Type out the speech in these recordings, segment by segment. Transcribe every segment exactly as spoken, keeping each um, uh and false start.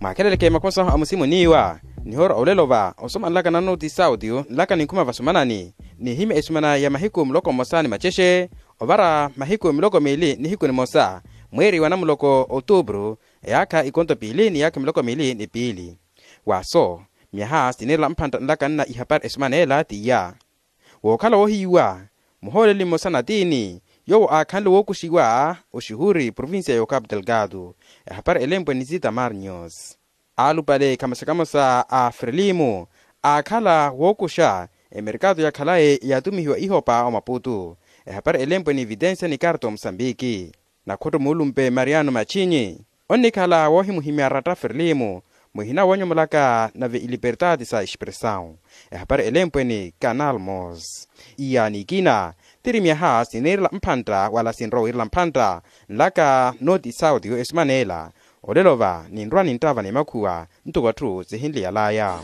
Mwaakheleleke makosa a musimu niiwa nihoora olelo va osoma nlaka na noti sauti nlaka ninkhuma vasumanani nihimya esumana ya mahiku muloko mmosa ni macexe ovara mahiku miloko miili nihiku nimosa mweeri wa namuloko otuupuru eyaakha ikonto piili ni yaakha miloko miili ni piili. Waaso myaha siniirela mphantta nlaka nna ihapari esumana ela t'iya wookhala woohiyiwa muhooleli mmosa na tiini yoowo aakhanle wookuxiwa oxuhuri provincia ya okapu delgado. Ehapari elempwe ni zita marnios aalupale kamosa-kamosa a frelimu aakhala wookuxa emerkato ya khalayi yaatumihiwa ihopa omaputu. Ehapari elempwe ni evitensia ni karto musambiki nakhotto muulumpe mariano machinyi onnikhala woohimuhimya ratta frelimu muhina woonyomolaka nave ilipertati sa expressau. Ehapari elempwe ni canal mos iya nikina tiri myaha siniirela mphantta wala sinrowa wiirela mphantta nlaka noti sauti yo esumana ela olelo va ninrwa ninttava ni makhuwa ntoko atthu sihinliyalaya.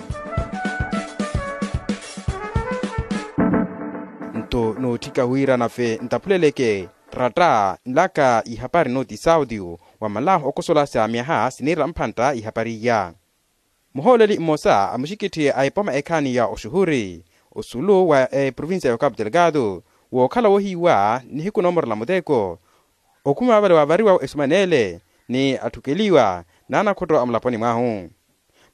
Nto nootthika wira nafe ntaphuleleke ratta nlaka ihapari noti sauti wa malahu okosolasya myaha siniirela mphantta ihapari iya. Muhooleli mmosa a muxikitthi a epoma ekhaani ya oxuhuri osulu wa eprovincia ya okapu delgado wookhala woohiyiwa nihiku noomorela muteko okhuma vale wavariwa esumanele ni atthukeliwa n'anakhotto a mulaponi mwahu.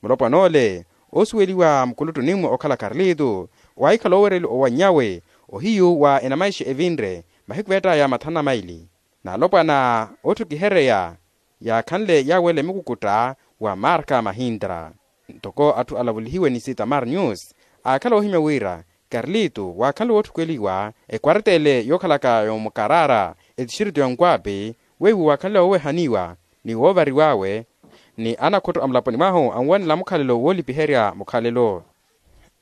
Mulopwan'ole oosuweliwa mukuluttunimmo okhala karlito waahikhala oowereliwa owannyawe ohiyu wa enamaixe evinre mahiku veett'aya mathanu na maili n'alopwana ootthukihereya yaakhanle yaawela emukukutta wa marka mahintra. Ntoko atthu alavulihiwe ni sitamar news aakhala oohimya wira karlito waakhanle wootthukweliwa ekwartele yookhalaka yomukarara etixirito ya nkwapi weiwo waakhanle woowehaniwa ni woovariw'awe ni anakhotto a mulaponi mwahu anwanela mukhalelo woolipiherya mukhalelo.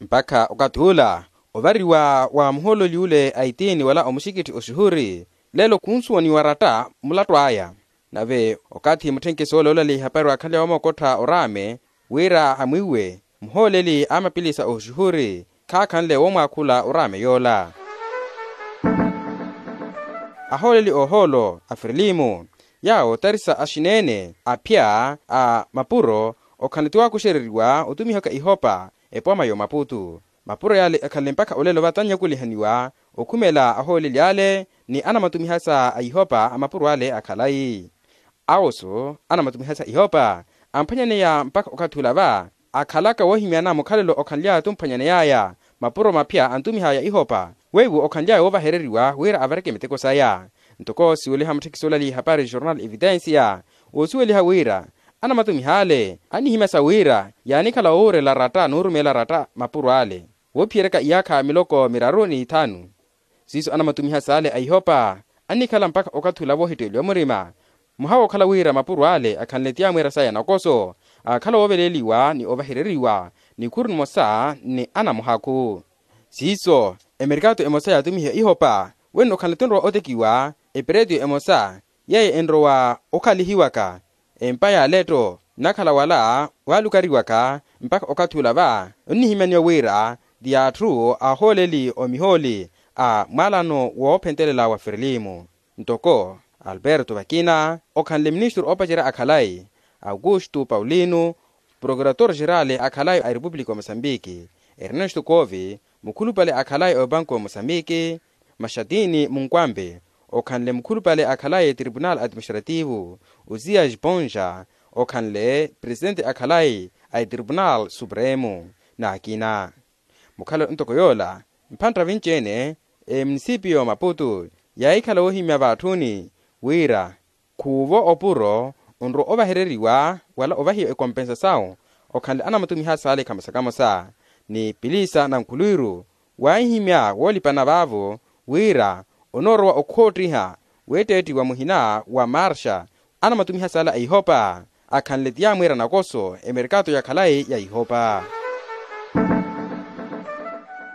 Mpakha okathi ula ovariwa wa muhoololi ule a itiini wala omuxikitthi oxuhuri lelo khunsuwaniwa ratta mulattu aya. Nave okathi mutthenkeso ole olaleya ihapari waakhanle woomookottha oraame wira amwiiwe muhooleli a mapilisa oxuhuri khaakhanle woomwaakhula oraame yoola. Ahooleli oohoolo a frilimu yaawo tarisa axineene aphya a mapuro okhanle tiwaakuxereriwa otumihaka ihopa epooma y'omaputu. Mapuro yaale akhanle mpakha olelo vatanyakulihaniwa okhumela ahooleli ale ni anamatumihasa a ihopa a mapuro ale akhalayi. Awoso anamatumihasa ihopa amphwanyaneya mpakha okathi ula va akhalaka woohimyana mukhalelo okhanly'aya tumphwanyaney'aya mapuro maphya antumih'aya ihopa weiwo okhanly'aya woovahereriwa wira avareke miteko saya. Ntoko siweliha mutthekisi olali ihapari jornal evidensia woosuweliha wira anamatumih'ale annihimyasa wira yaanikhala woowurela ratta n'urumeela ratta mapuro ale woophiyeryaka iyaakha miloko miraru n'ithanu. Siiso anamatumiha saale a ihopa annikhala mpakha okathi ula voohitteeliwa murima muha wookhala wira mapuro ale akhanle tiyamweera saya nakoso aakhala wooveleeliwa ni ovahereriwa nikhuru nimosa ni anamuhakhu. Siiso emerikato emosa yaatumihiwa ihopa wenno okhanle tunrowa otekiwa eperetu emosa yeeyo enrowa okhalihiwaka empa ya letto nnakhala wala waalukariwaka mpakha okathi ula va onnihimyaniwa wira ti atthu ahooleli omihooli a mwaalano woophentelela wa ferlimu. Ntoko alberto vakina okhanle ministru oopacerya akhalayi augusto paulino prokurator xerali akhalayi a erepupulika ya mosambiki ernesto cove mukhulupale akhalayi a opanku ya mosambiki maxatini munkwampe okhanle mukhulupale akhalayi a etripunal administrativo uzias ponxa okhanle presitenti akhalayi a etripunal supremo. N'akina mukhalelo ntoko yoola mphantta vinci-ene emunisipiyo maputu yaahikhala woohimya vaatthuuni wira khuuvo opuro onrowa ovahereriwa wala ovahiwa ekompensasawu okhanle anamatumiha saale khamosa-kamosa ni pilisa na nkhuluwiru waahihimya woolipana vaavo wira onoorowa okhoottiha weetteettiwa muhina wa marxa anamatumiha saale a ihopa akhanle tiyamwiira nakoso emerikato ya khalayi ya ihopa.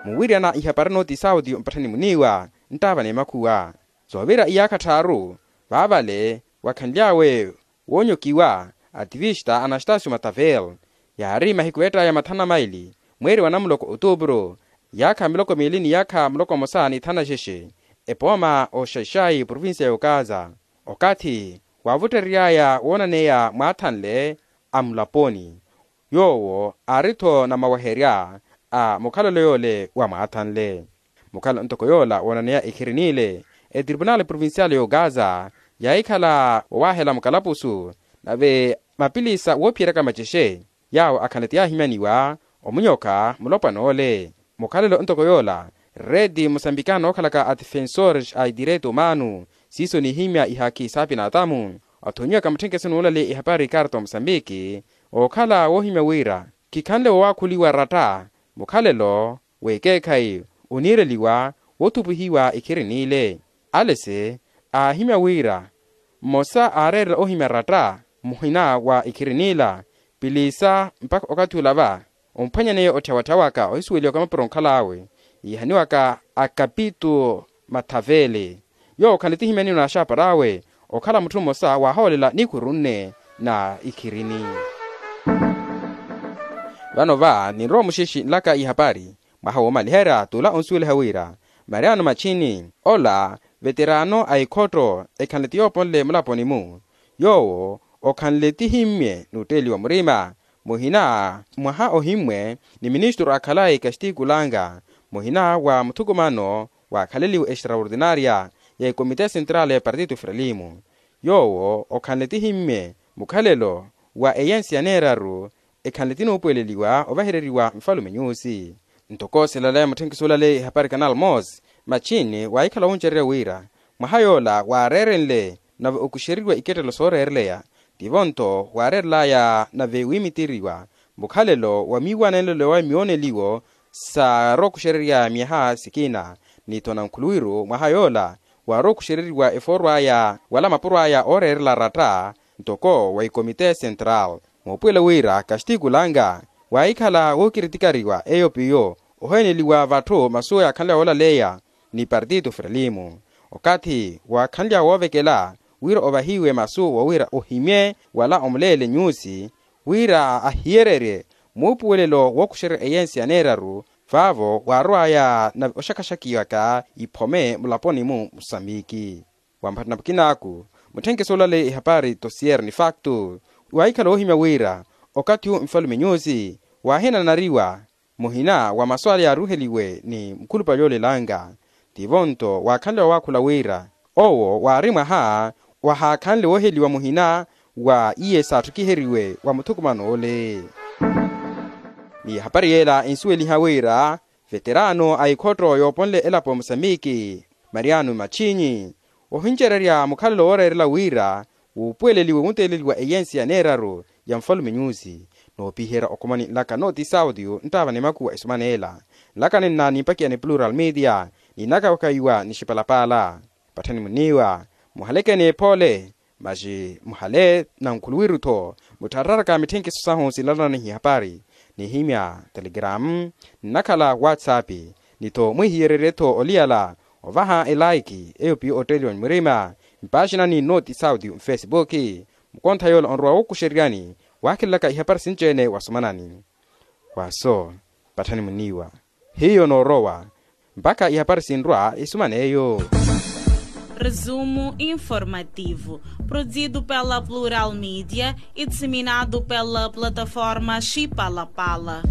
Muwiryana ihapari noti sauti mpatthani muniiwa nttaava n'emakhuwa soovira iyaakha tthaaru vaavale wakhanly'awe woonyokiwa ativista anastasio matavel yaari mahiku eett'aya mathanu na maili mweeri wa namuloko otuupuru yaakha miloko miili ni yaakha muloko mmosa n'ithanu na xexe epooma oxaxayi provincia y'okaza okathi waavutterery'aya woonaneya mwaathanle a mulaponi. Yoowo aari-tho namaweherya a mukhalelo yoole wamwaathanle. Mukhalelo ntoko yoola woonaneya ikhirin'ile, etripunali provinciali y'ogaza yaahikhala wowaahela mukalapusu, nave mapilisa woophiyeryaka macexe yaawo akhanle ti yaahimyaniwa omunyoka mulopwan'ole. Mukhalelo ntoko yoola, reti musambikana ookhalaka adifensores a idireito umano siiso nihimya ihaki saapinatamu, othonyiwaka mutthenkeso n'ulaleya ihapari ikarta omusambiki, ookhala woohimya wira khikhanle wowaakhuliwa ratta mukhalelo w'ekeekhayi oniireliwa woothupihiwa ikhirin'ile. Alese aahimya wira mmosa aareerela ohimya ratta muhina wa ikhirin'ila pilisa mpakha okathi olava omphwanyaneya otthyawatthyawaka ohisuweliwaka mapuro onkhal'awe yiihaniwaka akapito mathavele. Yoowo khanle tihimyaniwa n'axaapar'awe okhala mutthu mmosa waahoolela nikhuru nne na ikhirini. Vano va ninrowa muxixi nlaka ihapari mwaha woomaliherya t'ula onsuweliha wira mariano machini ola veterano a ikhotto ekhanle ti yooponle mulaponi-mu. Yoowo okhanle tihimmye n'utteeliwa murima muhina mwaha ohimmwe ni ministru akhalayi kastiku langa muhina wa muthukumano waakhaleliwe extraordinaria ya ikomite central ya partitu frelimo. Yoowo okhanle tihimmye mukhalelo wa eyensi ya neeraru ekhanle tinuupuweleliwa ovahereriwa nfalume nyusi. Ntoko silaleya mutthenkiso olaleya ihapari canal mos machini waahikhala wuncererya wira mwaha yoola waareerenle nave okuxereriwa ikettelo sooreereleya tivo-nto waareerelaya nave wiimitireriwa mukhalelo wa miiwanenlelo wa myooneliwo saarowa okuxererya myaha sikina ni-tho nankhuluwiru mwaha yoola waarowa okuxereriwa efooro aya wala mapuro aya ooreerela ratta ntoko wa ikomite central. Moopuwela wira kastiku langa waahikhala wookiritikariwa eyo piyo oheeneliwa vatthu masu yaakhanle woolaleya ni partitu frelimo okathi waakhanlya woovekela wira ovahiwe masu wawira ohimye wala omuleele nyusi wira ahiyererye muupuwelelo wookuxerya eyensi ya neeraru vaavo waarowaya nave oxakaxakiwaka iphome mulaponi-mu musambiki. Wampatthana mukinaaku mutthenkiso olaleya ihapari tosier ni faktu waahikhala woohimya wira okathi-wu nfalume nyusi waahinanariwa muhina wa masu ale yaaruheliwe ni mukhulupale yoolelanga tivo-nto waakhanle wawaakhula wira owo waari mwaha wahaakhanle wooheliwa muhina wa iye saatthukhiheriwe wa muthukumano ole. Ni hapari yeela ensuweliha wira veterano a ikhotto yooponle elapo ya musambiki mariano machinyi ohincererya mukhalelo wooreerela wira wuupuweleliwe wunteeleliwa eyensi ya neeraru ya nfalume nyusi. Noopiherya okhomani nlaka nooti saudio nttaava ni makuwa esumaneela nlaka ninna nimpakiya ni plural media ninakawakayiwa ni xipalapaala. Patthani muniiwa muhaleke ni epoole masi muhale nankhuluwiru-tho mutthararaka mitthenkiso sahu sinlalananiha ihapari nihimya telegram nnakhala whatsapp ni-tho mwihiyererye-tho oliyala ovaha elaiki eyo piyo otteeliwa ni murima mpaxinani nooti saudio nfesibuki mukontha yoola onrowa wookuxereryani waakhelelaka ihapari sinci-ene wasumanani. Waso patthani muniiwa hiyo noorowa mpakha ihapari sinrwa isumana eyo. Resumo informativo produzido pela plural media e disseminado pela plataforma xipalapala.